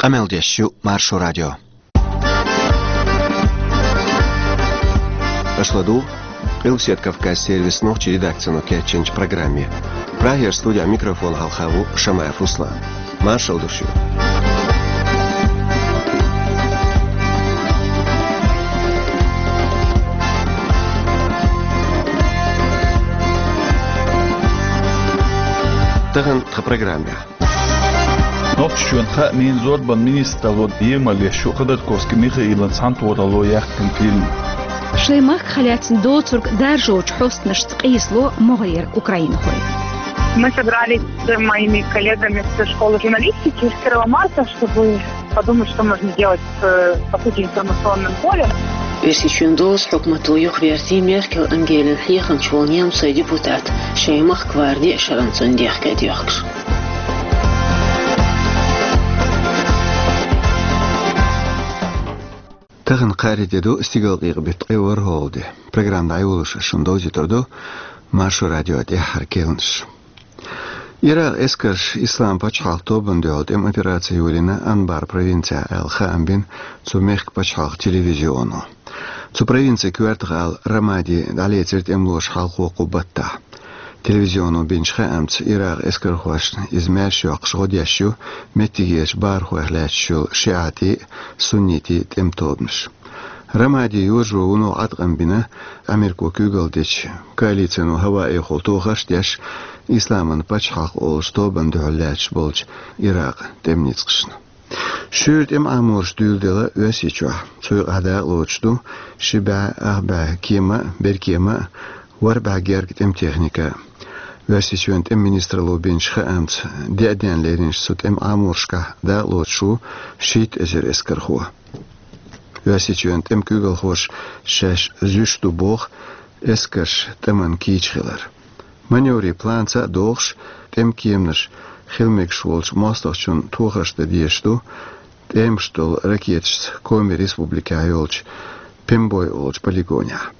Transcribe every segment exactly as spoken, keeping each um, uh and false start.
Къамел деш ю Маршо радио. Аша ладугӀу Къилбаседа Кавказан сервисан нохчийн редакцино кечйинчу программе. Прагера студехь микрофон хьалха ву Шамаев Руслан. Маршалла ду шуьга. Тахана тхан программехь. Нохчийчоьнан хаамийн, зорбанан министралло емал еш ю Ходорковский Михаилан цхьаьнатохаралло яьккхина фильм. Шайн махках лаьцна доцург даржочу хьостанашца къийсало могӀарера украинхой. Мы собрались с моими коллегами со школы журналистики первого марта, чтобы подумать, что можно делать с, по сути, информационным полем. Оьрсийчоьнан дозан хьукмато юхавертий Меркель Ангелин хьехамча волу немцойн депутат, шайн махка варна деа шарна цунна дехкедоьхкуш. Тахана кхаарин де ду, стигалкъекъа беттан ткъе ворхӀалгӀа де. Программа дӀайолош шуна довзуьйтур ду Маршо радион тӀаьххьара керланаш. Иракъан эскарша Исламан пачхьалкхан тобанна дуьхьал тӀеман операци йолийна Анбар провинцехь аьлла хаам бина цу мехкан пачхьалкхан телевизионо. Цу провинцин коьртах ала Рамади дӀалецира тӀемалоша хьалхо кху баттахь. Телевизионо бинчу хаамца, Иракъан эскархошна иза маьрша йоккхуш гӀо деш ю меттигерчу бахархойх лаьтташ йолу шиӀитийн а, суннитийн а тӀеман тобанаш. Рамади йожо вуно Ӏаткъам бина Америко куьйгалла дечу коалицино хӀаваэхула тохарш а деш, Исламан пачхьалкх олучу тобанна дуьхьал лаьтташ болчу Иракъан тӀеман ницкъашна. Шуьйра тӀеман Ӏаморш дуьйладелла Оьрсийчохь. Цу юкъахь дакъалоцуш ду ши бӀе, ах бӀе кема а, беркема а, ворхӀ бӀе герга тӀеман техника а. Оьрсийчоьнан тӀеман министралло бинчу хаамца, деа денна леринчу цу тӀеман Ӏаморшкахь дакъалоцуш ву шийтта эзар эскархо. Оьрсийчоьнан тӀеман куьйгалхоша шаьш зуьйш ду боху эскарш тӀамна кийча хилар. Маневрийн планца а догӀуш, тӀеман кеманаш хила мегаш волчу мостагӀчунна тохарш дан дезаш ду тӀемаш долу ракеташца Коми республикехь йолчу Пембой олучу полигонехь.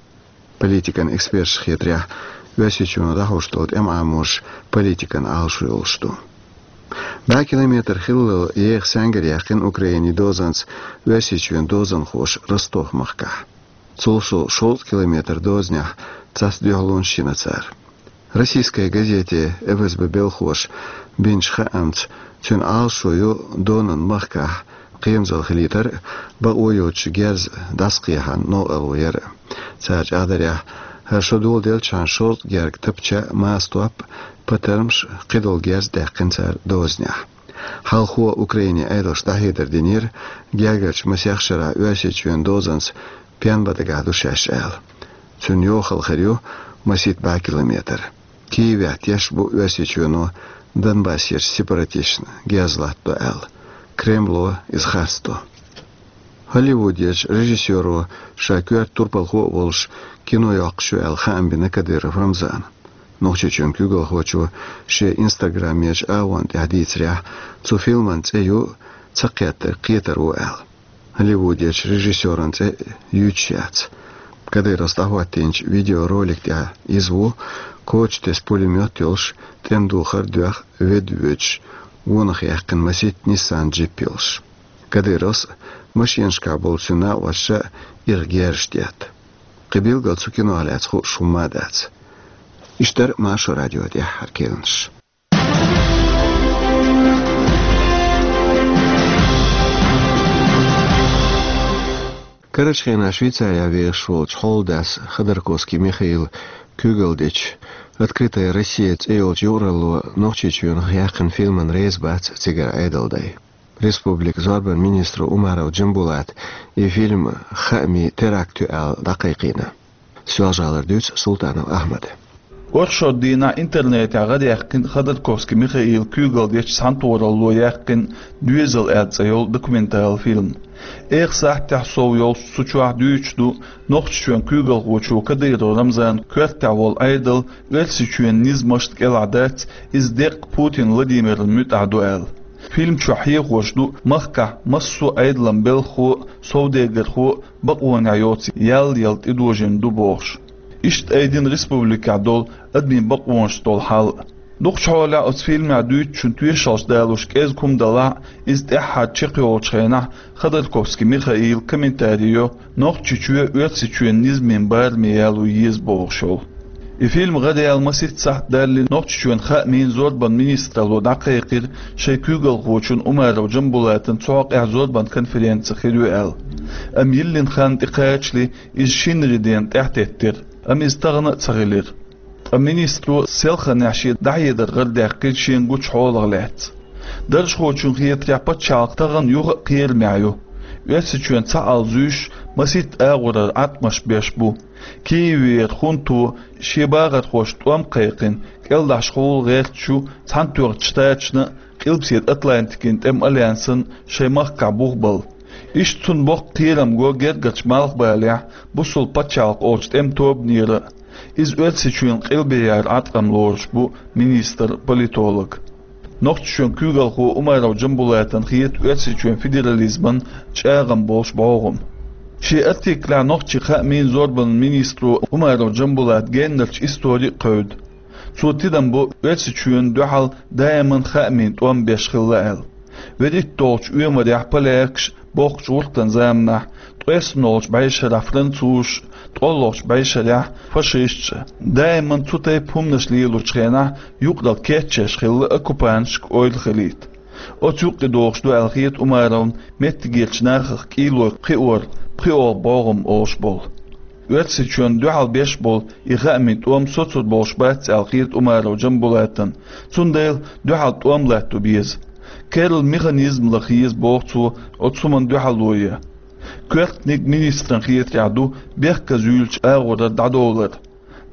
Политикан эксперташна хетарехь, Оьрсийчоьно дӀахьош долу тӀеман Ӏаморш политикан Ӏалашо йолуш ду. БӀе километр хиллал еха саьнгара яьккхина Украинин дозанца Оьрсийчоьнан дозанхоша Ростов-махкахь. Цул совнаха шовзткъа километр дозанехь цхьацца дуьхьалонаш йина цара. «Российская газета» ФСБ белхахоша бинчу хаамца, цуьнан Ӏалашо ю Донан махкахь кхерамзалла хилийтар а, бакъо йоцуш герз дӀасакхехьна новкъарло яр а. Цара чӀагӀдарехь, хӀара шо доладелчахьана шовзткъа герга тапча а, маса топ а, патармаш а, кхидолу герз а даьккхина цара дозанехь. Хьалхо Украинин Ӏедалша дӀахьедар динера, гергарчу масех шарахь Оьрсийчоьнан дозанца пенбан дагахь ду шаьш аьлла. Цуьнан йохалла хир ю масийтта бӀе километр. Киевехь тешаш бу Оьрсийчоьно Донбассерчу сепаратисташна герз латтадо аьлла. Кремло иза харцдо. Холливудерчу режиссёро, ша коьрта турпалхо а волуш, кино йоккхуш ю аьлла хаам бина Кадыров Рамзана. Нохчийчоьнан куьйгалхочо шен инстаграмерчу агӀонна тӀехь дийцарехь, цу фильман цӀе ю «Ца кхеттарг кхетар ву» аьлла. Холливудерчу режиссёран цӀе юьйцуш яц. Кадыровс дӀахӀоттийначу видеоролик тӀехь иза ву, коча тесна пулемёт йолуш, тӀеман духар а доьхна, ведда воьдуш, гонах яьккхина масийтта Nissan джип йолуш. Кадыровс а, машенашкахь болу цуьнан накъосташа а иха герзаш детта. Кхин билггал цу кинох лаьцна хууш хӀумма а дац. Иштта дара Маршо радион тӀаьххьара керланаш. Карарчу хенахь Швейцарехь вехаш волчу хьолдас Ходорковский Михаила куьйгалла дечу «Открытая Россия» цӀе йолчу юкъаралло Нохчийчоьнах яьккхина фильмана реза бац цигара Ӏедалан дай. Республикан зорбанан министро Умаров Джамбулата и фильм хаамийн теракт ю аьлла дӀакхайкхийна. Соьлжа-ГӀалара дуьйцу Султанов Ахьмада. Оршот дийнахь интернетехь гӀадаьккхина Ходорковский Михаила куьйгалла дечу цхьаьнатохаралло яьккхина «Доьзал» аьлла цӀе йолу документалан фильм. Эха сахьтехь сов йолуш цу чохь дуьйцуш ду Нохчийчоьнан куьйгалхочо Кадыров Рамзана коьртехь волу Ӏедал Оьрсийчоьнан низамашна кӀелахь дац, иза деккъа Путин Владимирна муьтӀахь ду аьлла. Фильм чохь хьехош ду махкахь массо а Ӏедалан белхахо а, совдегархо а бакъонехь йоцу ял яла тӀедожийна ду бохуш. Иштта айдина республикехь долу адамийн бакъонашца долу хьал а. Дукхачу хьолехь оцу фильмехь дуьйцучун тоьшаллаш далош кӀезиг хӀума далахь а, иза тӀаьххьара чекхйолучу хенахь Ходорковский Михаила комментари йо Нохчийчоь Оьрсийчоьнан низамийн бараме яло еза бохуш йолу. И фильм гӀараяла масийтта сахьт далале Нохчийчоьнан хаамийн, зорбанан министралло дӀакхайкхира шайн куьйгалхочун Умаров Джамбулатан цу хьокъехь зорбанан конференци хир ю аьлла. Амма йиллина хан тӀекхачале иза шинарин дена тӀаьхьатеттира, амма иза тахана а ца хилира. Ткъа министро селханехь шен дӀахьедар гӀарадаьккхира шена гучу хьолах лаьцна. Даржхочунна хетарехь, пачхьалкх тахана юха а кхерамехь ю. Оьрсийчоьнан цхьаалла зуьйш масийтта агӀорара Ӏаткъамаш беш бу. Киевера хӀунто шен бахархошна тӀом кхайкхина, кӀелдахьаш хьула гӀерташ ю Цхьаьнатоьхначу Штаташна а, Къилбаседа Атлантикин тӀеман альянсана шайн махкахь бух бала. Иштта цунна боккха кхерам го гергарчу Малхбалехь бусалба пачхьалкх олучу тӀеман тобанера а. Иза Оьрсийчоьнан къилбехьара Ӏаткъам лоруш бу министр-политолога. Нохчийчоьнан куьйгалхо Умаров Джамбулатана хета Оьрсийчоьнан федерализман чӀагӀам болуш бӀогӀам. Шен артиклехь нохчийн хаамийн, зорбанан министро Умаров Джамбулата геннарчу истори а кхевда. Цо тидам бо Оьрсийчоьнна дуьхьал даиман хаамийн тӀом беш хилла аьлла. ВуьрхӀитталгӀачу оьмарехь полякаш, бохкучу гӀуртан заманахь, ткъеснолгӀачу бӀешарахь французаш, ткъолгӀачу бӀешарехь фашисташ а. Даиман цу тайпа хӀуманаш лелочу хенахь юкъаралла кечъеш хилла оккупанташка ойла хилийта. Оцу юккъе догӀуш ду аьлла хета Умаровна меттигерчу нахах кӀийлой кхиор, пхиъолгӀа бӀогӀам олуш болу. Оьрсийчоьнна дуьхьал беш болу и хаамийн тӀом соцур болуш бац аьлла хета Умаров Джамбулатана, цундела дуьхьал тӀом латто беза. Керла механизм лаха еза, боху цо, оцу хӀуманна дуьхьало ян. Коьртаниг министран хетарехь ду бехказа юьйлучу агӀорара дӀадовлар.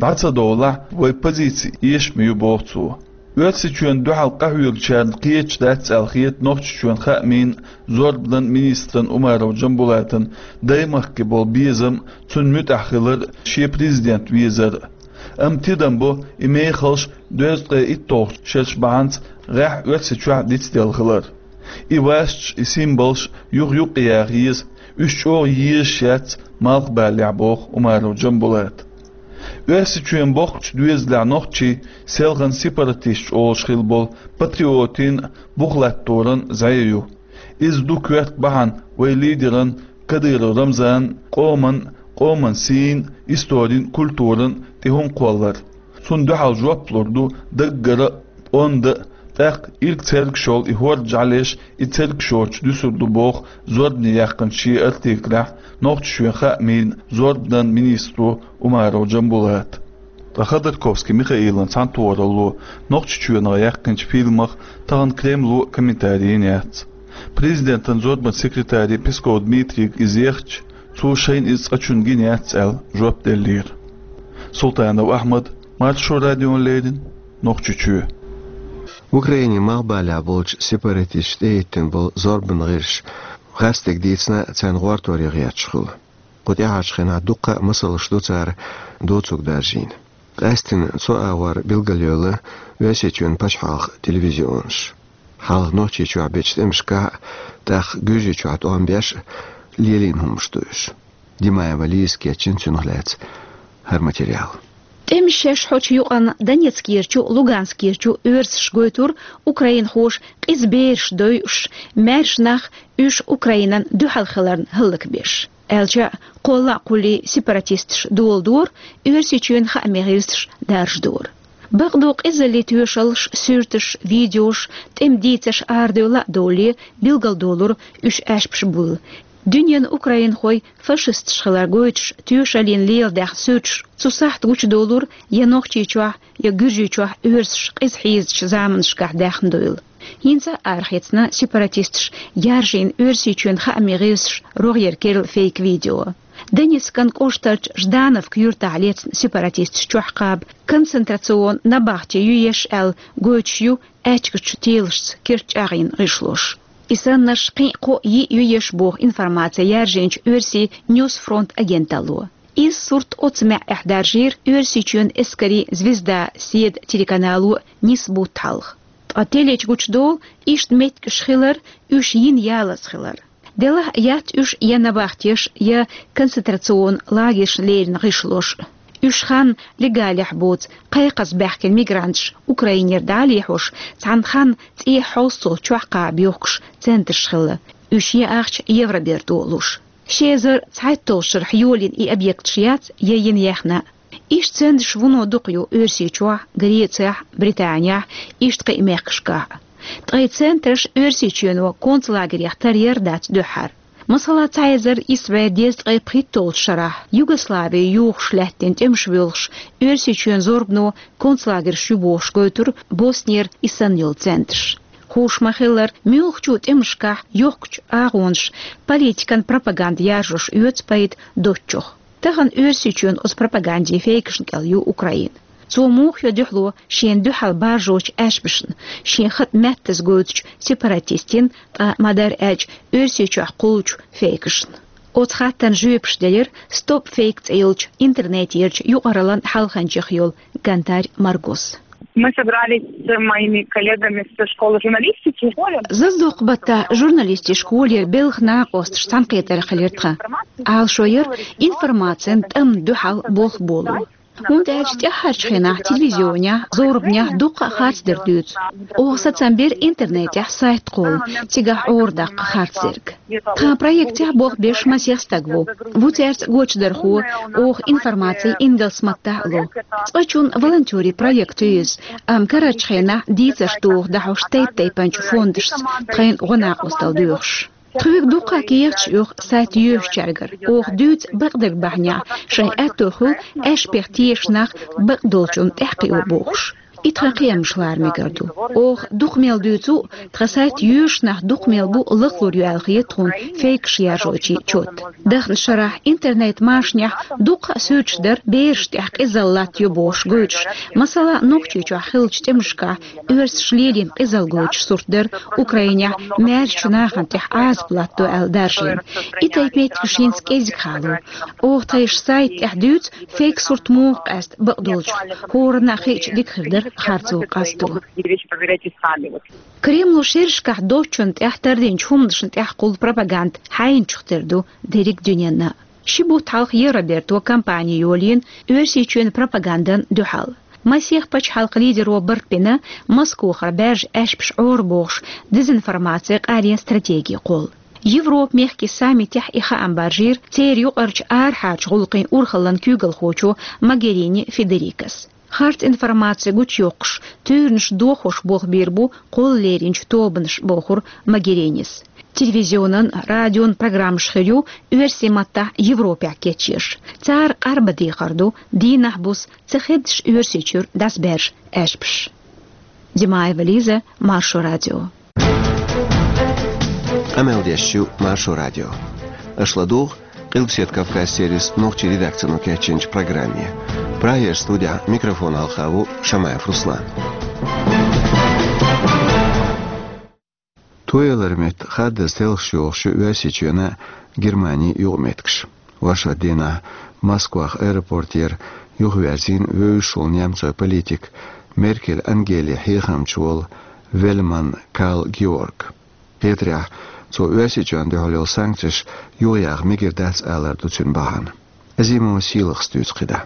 ДӀа ца довлахь, вай позици эшаме ю, боху цо. Оьрсийчоьнна дуьхьал къахьоьгучарна кхеташ дац аьлла хета Нохчийчоьнан хаамийн, зорбанан министран Умаров Джамбулатан даймахке болу безам, цунна муьтӀахь хилар, шен президент везар. Амма тидам бо и мехалш дезткъе итталгӀачу шераш бахьанца гӀеххьа Оьрсийчохь дицделла хилар. И васаш, и символаш юха юккъе яха еза, уьш чӀогӀа езаш яц Малхбалехь, боху Умаров Джамбулата. Оьрсийчоьнан боккхачу доьзалехь нохчий селхана сепаратисташ олуш хилла болу патриотийн, бух латторан зӀе ю. Иза ду коьрта бахьана вай лидеран Кадыров Рамзанан, къоман, къоман сийна, историн, культуран тӀе хӀума кхоллар. Цунна дуьхьал жоп лур ду даггара а, онда а, тӀаккха ирг цергаш йолу и хӀорда жӀаьлеш и цергаш йоцуш дуьсур ду, боху зорбане яьккхинчу шен артиклехь Нохчийчоьнан хаамийн, зорбанан министро Умаров Джамбулата. Ткъа Ходорковский Михаилан цхьаьнатохаралло Нохчийчоьнах яьккхинчу фильмах тахана Кремло комментари йина яц. Президентан зорбанан секретаре Песков Дмитрийга иза ехча, цо шайна иза цкъачунна гина яц аьлла, жоп деллера. Султанов Ахьмад, Маршо радиона леррина, Нохчийчоь. Украинин малхбалехь болчу сепаратисташа тӀехӀиттина болу зорбанан гӀирсаш гӀаьртиг дийцина царна гӀортор ян гӀерташ хуьлу. Кху тӀаьхьарчу хенахь дуккха а масалш ду цара доцург даржийна. Къаьсттина цу агӀор билгалйойла Оьрсийчоьнан пачхьалкхан телевизионаш. Хьалха Нохчийчохь бечу тӀемашкахь а, тӀаккха Гуьржийчохь тӀом беш а лелийна хӀуманаш ду уьш. Димаева Лизас кечйина цунах лаьцна хӀара материал. ТӀемаш шаьш хьочу юкъанна Донецкерчу, Луганскерчу оьрсаша гойтура украинхоша къиза бераш дойуш, маьрша нах уьш Украинан дуьхьал хиларна хӀаллакбеш. Аьлча а, кхолла а, кхуллий а сепаратисташ доладора, Оьрсийчоьнан хаамийн гӀирсаш даржадора. Бакъду, къизаллин тоьшаллаш, суьрташ, видеош, тӀеман дийцарш арадевлла а довлий, билгалдолура уьш аьшпаш буйла. Дуьненан украинхой фашисташ хилар гойтуш, тоьшаллин леладаьхна суьрташ цу сахьта гучудолура я Нохчийчохь, я Гуьржийчохь оьрсаш къиза хьийзачу заманашкахь даьхна дуйла. ХӀинца а арахецна сепаратисташа яржийна Оьрсийчоьнан хаамийн гӀирсаша рогӀера керла фейк-видео. Донецкан кӀоштарчу Ждановка юьртахь лецна сепаратисташа чохь кхаба концентрационни набахти ю еш аьлла гойтуш ю аьчкачу телашца керт чӀагӀйина гӀишлош. И саннарш кхин а кхоъ, йиъ ю еш боху информаци яржийначу оьрсийн Ньюсфронт агенталло. Иза сурт оцу маьӀӀехь даржийра Оьрсийчоьнан эскарийн Звезда седа телеканало нисса бутт хьалха. Ткъа телечу гучудолу иштта меттигаш хилар, уьш йина ялаза хилар. Делахь а яц уьш я набахтеш, я концентрационни лагершна леррина гӀишлош. Уьш хан легалехь боцу, кхайкхаза баьхкина мигранташ Украинера дӀа а лехьош, цхьана ханна цӀе хьовсцалц чохь кхаба йохкуш центраш хилла. Уьш я ахча Евроберто луш. Ши эзар цхьайтталгӀачу шарахь йолийна и объекташ яц я йина яьхна. Иштта центраш вуно дукха ю Оьрсийчохь, Грецехь, Британехь, иштта кхин а мехкашкахь. Ткъа и центраш Оьрсийчоьно концлагерех тара яр дац дуьххьара. Масала, цхьа эзар исс бӀе дезткъе пхийтталгӀачу шарахь Югослави юхуш лаьттина тӀемаш воьлхуш, Оьрсийчоьнан зорбано концлагерш ю бохуш гойтура Боснера и санна йолу центраш. Хууш ма-хиллара, муьлххачу тӀемашкахь йохкучу агӀонаш политикан пропаганда яржош оьцу пайда доцучух. Тахана Оьрсийчоьнан оцу пропагандин фейкашна кӀел ю Украина. Цо муха йо дуьхьало шена дуьхьал баржочу аьшпашна, шен хатӀ меттаза гойтучу сепаратистийн, ткъа ма-дарра аьлча, Оьрсийчохь кхуллучу фейкашна? Оцу хаттарна жоьпаш делира Stop Fake цӀе йолчу интернетерчу юкъараллин хьалханчех йолу Гантарь Маргос. Мы собрались с моими коллегами со школы журналистики. Заздоккху баттахь журналистийн школера белхан накъосташ цхьаьнакхетарехь хилира тхан. Ӏалашо яра информацин тӀамна дуьхьал болх боло. ХӀунда аьлча тӀаьххьарчу хенахь телевизионехь, зорбанехь дуккха а харцдерг дуьйцу. Оха сацам бира интернетехь сайт кхолла, цигахь Ӏора даккха харцдерг. Тхан проектехь болх беш масех стаг ву. Ву цаьрца гочдархо, оха информаци ингалс маттахь а ло. Цкъачунна волонтерийн проект ю иза, амма карарчу хенахь дийцарш доху дӀахьош тайп-тайпанчу фондашца тхайна гӀо-накъосталла доьхуш. Тхоьга дуккха а кехаташ оьху сайт йоьшучаьргара. Оха дуьйцу бакъдерг бахьанехь, шайн аьтто хуьлу аьшпех тешаш нах бакъдолчунна тӀаьхьакхио бохуш. И тхан кхиамаш лара мегар ду. Оха дукха мел дуьйцу, тхан сайт йоьшучу нах дукха мел бу лахлур ю аьлла хета тхуна фейкаш яржочийн чот. Даханчу шарахь интернет-машанехь дуккха а суьрташ дара берашна тӀехь къизалла латтайо бохуш гойтуш. Масала, Нохчийчохь хиллачу тӀемашкахь оьрсаша лелийна къизалла гойтуш сурт дара, Украинехь маьршачу нахана тӀехь Ӏазап латтадо аьлла даржийна. И тайпа меттигаш хӀинца кӀезиг хало. Оха тхайн сайта тӀехь дуьйцу, фейк сурт муха къаьста бакъдолчух, хӀоранна а хиъча дика хир дара харцо къасто. Кремло шерашкахь доцчунна тӀехь тардинчу хӀуманашна тӀехь кхуллу пропаганда хьайначух тера ду дерриг дуьненна. Ши бутт хьалха Евроберто кампани йолийна Оьрсийчоьнан пропагандан дуьхьал. Масех пачхьалкхан лидеро барт бина Москохара баьржа аьшпаш Ӏора бохуш, дезинформаци къарен стратеги кхолла. Европа-мехкийн саммитехь и хаам баржийра церан юкъарчу арахьарчу гӀуллакхийн урхаллин куьйгалхочо Могерини Федерикас. Харц информаци гучуйоккхуш, туьйранаш дохош болх бийр бу кхолла леринчу тобанаш, бохура Могеринис. Телевизионан, радион программаш хир ю оьрсийн маттахь Европехь кечъеш. Цара къарбан дехар ду дийнахь-буса ца хеддаш Оьрсийчуьра дӀасабаьржа аьшпаш. Димаева Лиза, Маршо радио. Къамел деш ю Маршо радио. Аша ладугӀу Къилбаседа Кавказ сервисан нохчийн редакцино кечйинчу программе. Прагера студехь микрофон хьалха ву Шамаев Руслан. Тояларан метта хаддаза телхаш йохуш ю Оьрсийчоьнан а, Германин а юкъаметтигаш. Оршот дийнахь Москвахь аэропортера юхаверзийна вевзаш волу немцойн политик, Меркель Ангелин хьехамча волу Вельман Карл Георг. Хетарехь, цо Оьрсийчоьнна дуьхьал йолу санкцеш юхаяха мегар дац алар ду цуьнан бахьана. Азимова Сийлахас дуьйцу кхидӀа.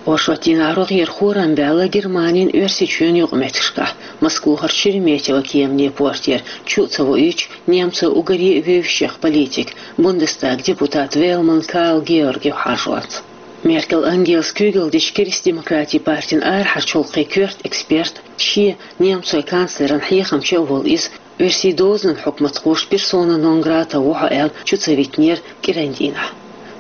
Оршот дийнахь рогӀера хорам баьлла Германин, Оьрсийчоьнан юкъаметтигашкахь. Москвахара Шереметьево кеманийн портера чу а ца воуьйтуш, немцойн уггаре а вевзаш йолу политик, Бундестаган депутат Вельман Карл Георг юхахьажорца. Меркель Ангелас куьйгалла дечу Кристдемократийн партин арахьарчу гӀуллакхийн коьрта эксперт, шен немцойн канцлеран хьехамча а волу иза, оьрсийн дозанан хьукматхоша персона нон грата ву хьо аьлла чу ца витинера кӀиран дийнахь.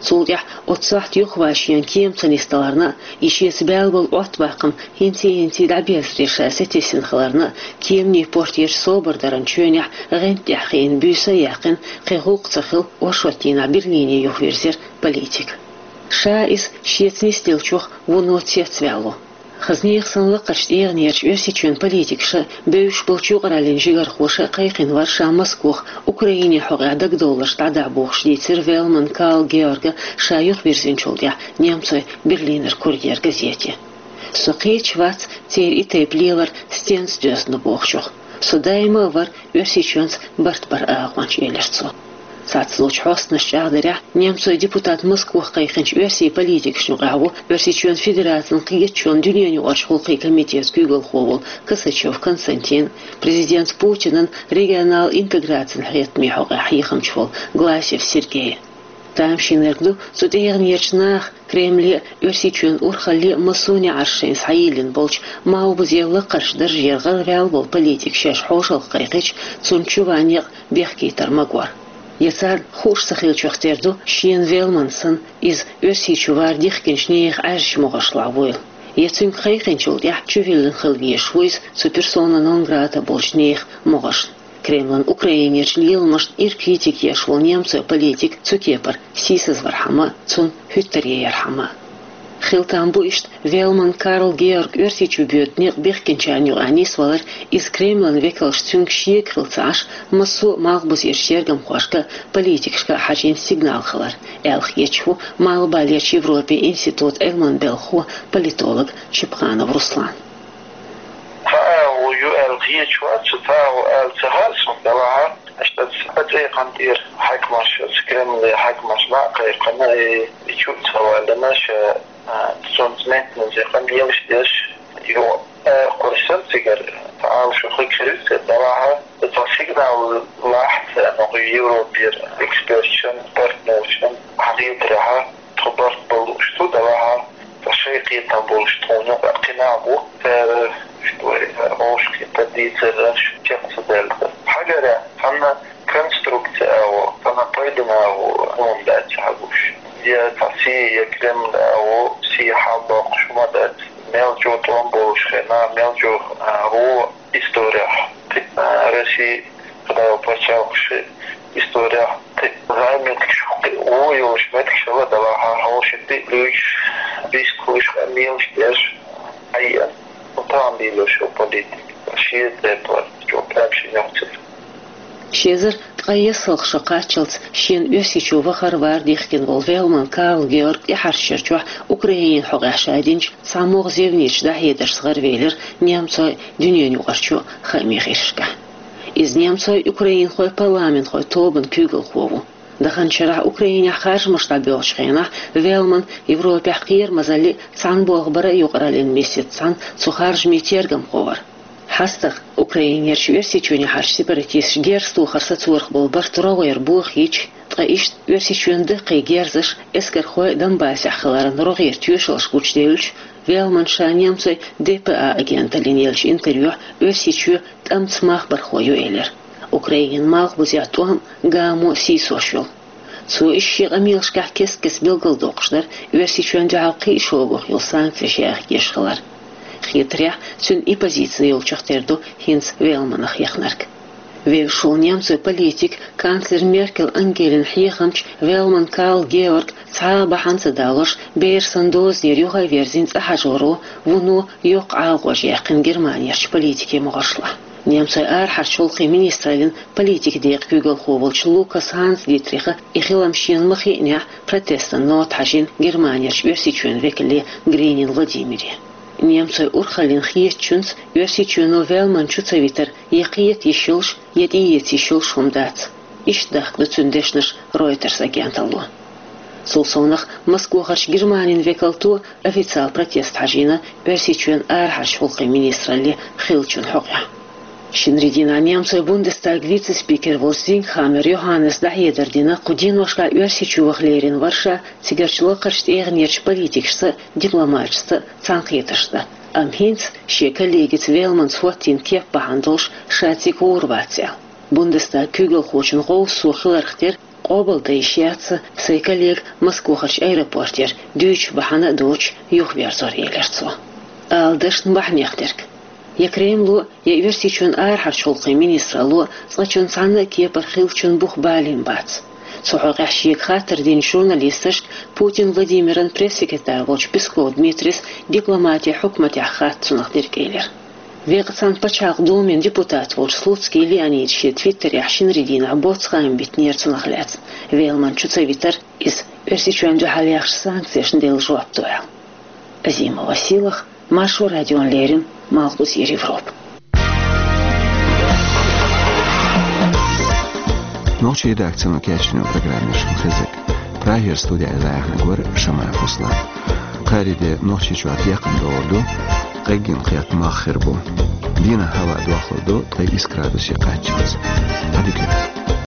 Цул тӀаьхьа оццу сохьта юхаван шена кема ца нисдаларна а, и шеца баьлла болу Ӏоттабаккхам хӀинций-хӀинций дӀаберзаре ша сатесна хиларна а, кеманийн портерчу собар даран чоьнехь гӀанта тӀехь хиъна буьйса а яьккхина, кхин гӀуллакх ца хилла, оршот дийнахь Берлине юхавирзира политик. Ша иза шеца нисделлачух вуно цецваьлла ву. Хаза нехан санна лакхарчу тӀегӀанерчу Оьрсийчоьнан политикаша а, бевзаш болчу юкъараллин жигархоша а кхайкхина вара ша Москох Украинин хьокъехь дагадовларш дӀадахьа бохуш, дийцира Вельман Карл Георга ша юхавирзинчул тӀаьхьа немцойн Берлинер курьер газете. Со кхеташ вац церан и тайпа лелар стенца доьзна ду бохучух. Со даима а вара Оьрсийчоьнца барт баран агӀонча, элира цо. Цхьацца лучу хьосташна чӀагӀдарехь, немцойн депутат Москвахь кхайкхинчу оьрсийн политикашна юкъахь ву Оьрсийчоьнан Федерацин кхеташонан дуьненаюкъарчу гӀуллакхийн комитетан куьйгалхо волу Косачёв Константин, президент Путинан регионал интеграцин хьехамийн хьокъехь хьехамча волу Гласев Сергей. Тамашийнарг ду цу тӀегӀанерчу наха Кремле а, Оьрсийчоьнан урхалле а массо а неӀарш шайна схьайиллина болчу, малхбузера лакхарчу даржера гӀараваьлла волу политик шаьш хьошалгӀа кхайкхича, цунна чу ван некъ бехкийтар магор. Я царна хууш ца хиллачух тера ду, шена Велман санна, иза Оьрсийчу вар дихкинчу нехан Ӏаьржачу могӀаршлахь вуйла. Я цуьнга кхайкхинчул тӀаьхьа чувиллина хила везаш ву иза цу персона нон грата болчу нехан могӀаршна. Кремлан Украинерчу леламашна ира критика еш волу немцойн политик цу кепара сийсазвархьама, цунна хӀуьттаръярхьама. Хила там бу иштта Велман Карл Георг Оьрсийчу боьду некъ бехкинчарна юкъахь нисвалар, иза Кремлан векалш цуьнга шега хила ца Ӏаш, массо а малхбузерчу тергамхошка а, политикашка а хьажийна сигнал хилар, аьлла хеташ ву Малхбалерчу Европин институтан Ӏилманан белхахо, политолог Чепханов Руслан. Цхьа агӀо ю аьлла хеташ вац, цхьа агӀо аьлла ца хаьа суна, делахь а, аша тӀаца цӀе кхантӀера хьаькамаш, оцу Кремлан хьаькамаш лаьа кхайкхина, и, и чу а ца ваьллина, ша, а, цунца меттаназа къамелаш деш, ю, а, кхуьссина цигара, цхьа агӀо шу хиг хир ю церан, делахь а, цхьа сигнал лаьа царна Европера, эксперташна, партнершна, хьан хетарехь, тхо барт бан лууш ду, делахь а, ткъа шайн кхетам болуш тхуна юкъахь кхин нах бу, цара, что, вовшахкхетар дийцар, чекх ца даьлла. Хьагарехь, цхьана конструкция агӀо, цхьана пайдана агӀо хӀума дац хьан гуш. Я цхьа сий, я Кремлан агӀо, сий хьалабоккхуш хӀума дац. Мел чӀогӀа тӀом болуш хенахь, мел чӀогӀа, а, вон исторехь, а, Росси, Кхидолу пачхьалкхаш исторехь кхин зӀе меттигаш, кхин вон йолуш меттигаш хилла, делахь а, хьошалгӀа тӀе а луьйчуш, бийсакхуьлуш, къамелаш деш, хьаеана. Ну, тахана лелош йолу политика, шен тӀе а тӀом, чӀогӀа прям шен йоккхуш. Ши эзар ткъе ялх шо кхаччалц шена Оьрсийчу вахар-вар дихкина волу Велман Карл Георг тӀаьхьарчу шарахь Украинин хьокъехь ша динчу цхьа могӀа зевнечу дӀахьедаршца гӀаравелира немцойн дуьненаюкъарчу хаамийн гӀирсашкахь. Иза немцойн украинхойн парламентхойн тобанан куьйгалхо ву. Даханчу шарахь Украинехь харжамаш дӀабоьлхучу хенахь Велман Европехь кхерамазаллин а, цхьаьна болх баран а юкъараллин миссица цхьаьна цу харжамийн тергамхо вара. ХьастагӀа Украинерчу Оьрсийчоьнехьарчу сепаратисташа герз тохар сацорах болу барт рогӀера бохийча, ткъа иштта Оьрсийчоьнан даккхий герзаш эскархойн Донбассехь хиларан рогӀера тоьшаллаш гучуделлачу, Велмана ша немцойн Д П А агенталлина еллачу интервьюхь Оьрсийчоь тӀамца махбархо ю элира. Украинан малхбузехь тӀом а, гамо а сийсош йолу. Цо иза шен къамелашкахь кест-кеста билгалдоккхуш дара Оьрсийчоьнна дуьхьал кхин а шогах йолу санкцеш яхкеш хилар. Хетарехь, цуьнан и позици йолчух тера ду хӀинца Велманах яхнарг. Вевзаш волу немцойн политик, канцлер Меркель Ангелин хьехамча Велман Карл Георг цхьа а бахьана ца далош, бер санна дозанера юххе а верзина цӀа хьажоро, вуно йоккха Ӏалашонаш яьккхина Германерчу политикийн могӀаршлахь. Немцойн арахьарчу гӀуллакхийн министраллин политикан декъан куьйгалхо волчу Лукас Ханс Дитриха и хилам шена ма хиънехь, протестан нота хьажийна Германерчу Оьрсийчоьнан векале Гринин Владимире. Немцойн урхаллин хетачуьнца Оьрсийчоьно Велман чу ца витар я кхета йиш йолуш, я тӀеэца йиш йолуш хӀума дац. Иштта дахка ду цуьнан дешнаш Reuters агенталло. Цул совнах Москвахарчу Германин векалто официал протест хьажийна Оьрсийчоьнан арахьарчу гӀуллакхийн министралле хиллачун хьокъехь. Шинарин дийнахь немцойн Бундестаган вице-спикер волчу Зингхаммер Йоханнеса дӀахьедар дина, кху деношкахь Оьрсийчу ваха лерина вара ша цигарчу лакхарчу тӀегӀанерчу политикашца а, дипломаташца а цхьаьнакхетарш дан. Амма хӀинца шен коллегица Велманца хӀоттийна кеп бахьана долуш ша цига гӀур вац аьлла. Бундестаган куьйгалхочун гӀовгӀа сов хиларх тера, къобалдан йиш яц сайн коллега Москвахарчу аэропортера дуьйцуш бахьана а доцуш юхаверзор, элира цо. Ала дашна бахьанех дерг. Я Кремло, я Оьрсийчоьнан арахьарчу гӀуллакхийн министралло цкъачунна цхьана а кепара хиллачун бух балийна бац. Цу хьокъехь шега хаттар динчу журналисташка Путин Владимиран пресс-секретарь волчу Песков Дмитрис дипломатин хьукматехь хатта цунах дерг элира. Векъа цхьана Пачхьалкхан Думин депутат волчу Слуцкий Леонида шен твиттерехь шинарин дийнахь боцу хаам битинера цунах лаьцна, Велман чу ца витар, иза Оьрсийчоьнна дуьхьал яхачу санкцешна делла жоп ду аьлла. Азимова Силах, Маршо радиона леррина, Малхбузера Европа. Нохчийн редакцино кечйина программа шун хезаг. Прагера студехь дӀаяьхьнарг вара Шамаев Руслан. Кхаарин де Нохчийчохь декхар догӀур ду, къеггина кхетта мах хир бу. Дийнахь хӀаваъ дохлур ду ткъе исс градусе кхаччалц. Ӏадика.